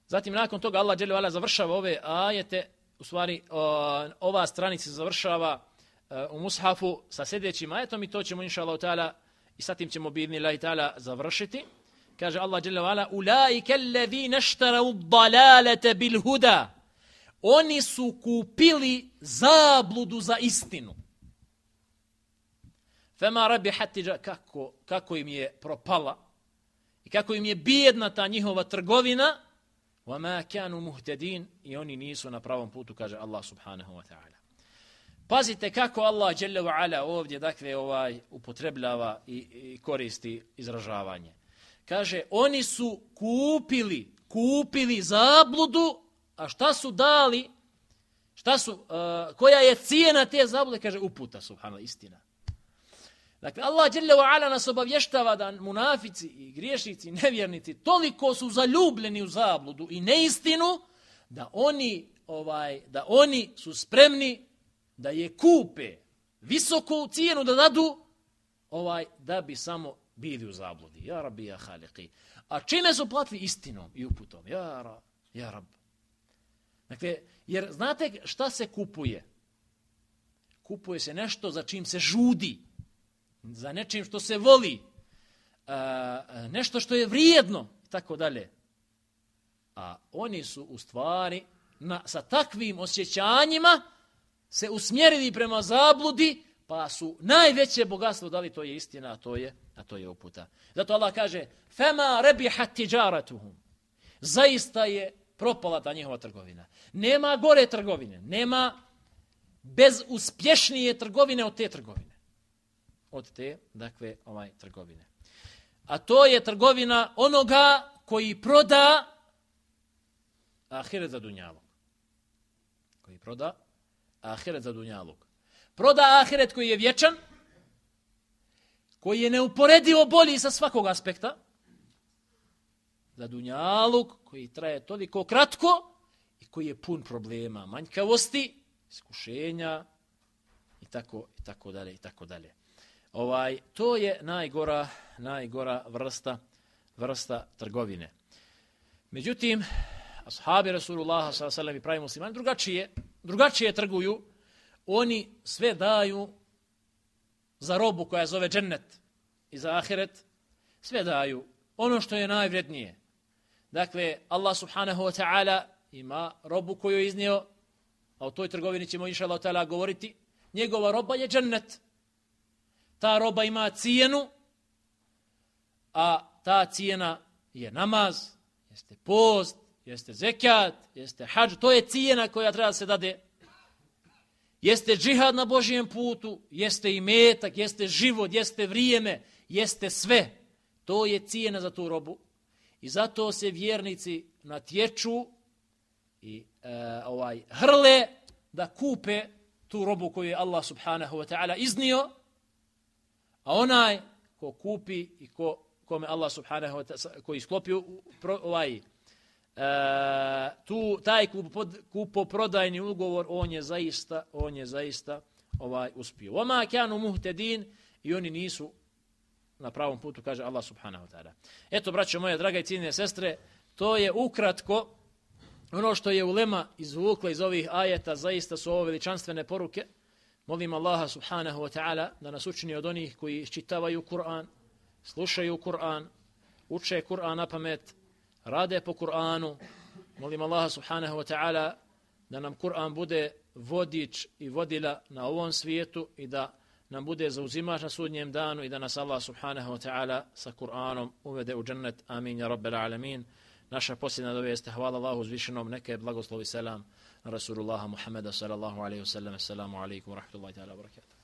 Zatim, nakon toga, Allah dželle ve ala završava ove ajete, u stvari, ova stranica završava u mushafu sa sljedećim ajetom i to ćemo, inša Allah ta'ala, i sa tim ćemo, bi idhnillahi ta'ala, završiti. Kaže Allah dželle ve ala, ulaika alladhina ishtarau ad-dalalata bil huda. Oni su kupili zabludu za istinu. Fema rabihat tijara, kako kako im je propala i kako im je bijedna ta njihova trgovina. Wama kanu muhtadin, i oni nisu na pravom putu, kaže Allah subhanahu wa ta'ala. Pazite kako Allah dželle ve ala ovdje, dakle, ovaj upotrebljava i, i koristi izražavanje. Kaže, oni su kupili, kupili zabludu, a šta su dali, šta su, uh, koja je cijena te zablude, kaže, uputa, subhanallah, istina. Dakle, Allah dželle ve ala nas obavještava da munafici i griješnici, nevjernici, toliko su zaljubljeni u zabludu i neistinu, da oni, ovaj, da oni su spremni da je kupe visoku cijenu da dadu, ovaj, da bi samo bili u zabludi. Ja Rabbi, ja Haliqi. A čime su platili? Istinom i uputom. Ja, ra, ja Rab, Dakle, jer znate šta se kupuje? Kupuje se nešto za čim se žudi, za nečim što se voli, nešto što je vrijedno i tako dalje. A oni su u stvari na, sa takvim osjećanjima se usmjerili prema zabludi, pa su najveće bogatstvo dali, to je istina, a to je, a to je uputa. Zato Allah kaže: "Fema rabihat tijaratuhum." Zaista je propala ta njihova trgovina. Nema gore trgovine, nema bezuspješnije trgovine od te trgovine. Od te, dakle, ovaj trgovine. A to je trgovina onoga koji proda ahiret za dunjaluk. Koji proda ahiret za dunjaluk. Proda ahiret koji je vječan, koji je neuporedivo bolji sa svakog aspekta, za dunjaluk koji traje toliko kratko i koji je pun problema, manjkavosti, iskušenja i tako i tako dalje i tako dalje. Ovaj to je najgora najgora vrsta vrsta trgovine. Međutim, ashabi Rasulullaha sallallahu alejhi ve sellem i pravi muslimani drugačije drugačije trguju. Oni sve daju za robu koja zove džennet i za ahiret, sve daju ono što je najvrednije. Dakle, Allah subhanahu wa ta'ala ima robu koju je iznio, a o toj trgovini ćemo inšallahu ta'ala govoriti. Njegova roba je džennet. Ta roba ima cijenu, a ta cijena je namaz, jeste post, jeste zekat, jeste hadž. To je cijena koja treba da se dade. Jeste džihad na Božijem putu, jeste imetak, jeste život, jeste vrijeme, jeste sve. To je cijena za tu robu. I zato se vjernici natječu i e, ovaj hrle da kupe tu robu koju je Allah subhanahu wa ta'ala iznio, a onaj ko kupi i ko, kome Allah subhanahu wa ta'ala, koji sklopio ovaj Uh, tu taj kupoprodajni ugovor, on je zaista on je zaista ovaj uspio. Wama kanu muhtedin, i oni nisu na pravom putu, kaže Allah subhanahu wa ta'ala. Eto, braćo moje, draga i cijenjene sestre, to je ukratko ono što je ulema izvukla iz ovih ajeta. Zaista su ovo veličanstvene poruke. Molim Allaha subhanahu wa ta'ala da nas učini od onih koji iščitavaju Kur'an, slušaju Kur'an, uče Kur'an na pamet, rade po Kur'anu. Molim Allaha subhanahu wa ta'ala da nam Kur'an bude vodič i vodila na ovom svijetu i da nam bude zauzimač na sudnjem danu i da nas Allah subhanahu wa ta'ala sa Kur'anom uvede u džennet. Amin, ja rabbel alamin. Naša posljedna dova jeste hvala Allahu uzvišenom, neka je blagoslovi selam na Rasulullaha Muhammeda sallallahu alaihi wa sallam. Assalamu alaikum wa rahmatullahi ta'ala wa barakatuh.